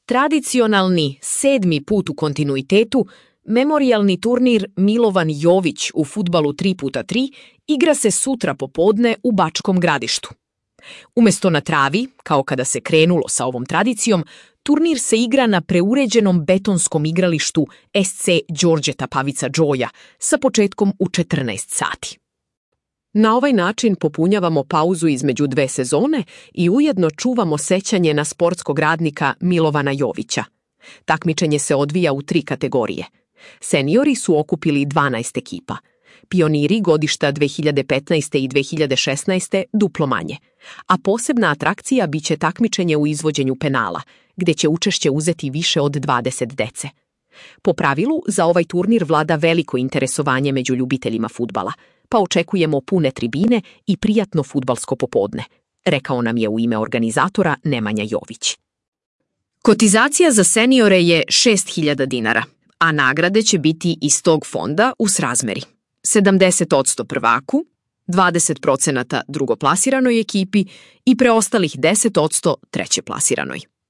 Tradicionalni 7. put u kontinuitetu, memorijalni turnir Milovan Jović u fudbalu 3x3 igra se sutra popodne u Bačkom Gradištu. Umesto na travi, kao kada se krenulo sa ovom tradicijom, turnir se igra na preuređenom betonskom igralištu SC Đorđeta Pavica Džoja sa početkom u 14 sati. Na ovaj način popunjavamo pauzu između dve sezone i ujedno čuvamo sećanje na sportskog radnika Milovana Jovića. Takmičenje se odvija u 3 kategorije. Seniori su okupili 12 ekipa. Pioniri godišta 2015. i 2016. duplo manje. A posebna atrakcija biće takmičenje u izvođenju penala, gde će učešće uzeti više od 20 dece. Po pravilu, za ovaj turnir vlada veliko interesovanje među ljubiteljima fudbala, pa očekujemo pune tribine i prijatno fudbalsko popodne, rekao nam je u ime organizatora Nemanja Jović. Kotizacija za seniore je 6.000 dinara, a nagrade će biti iz tog fonda u srazmeri. 70% prvaku, 20% drugoplasiranoj ekipi i preostalih 10% trećeplasiranoj.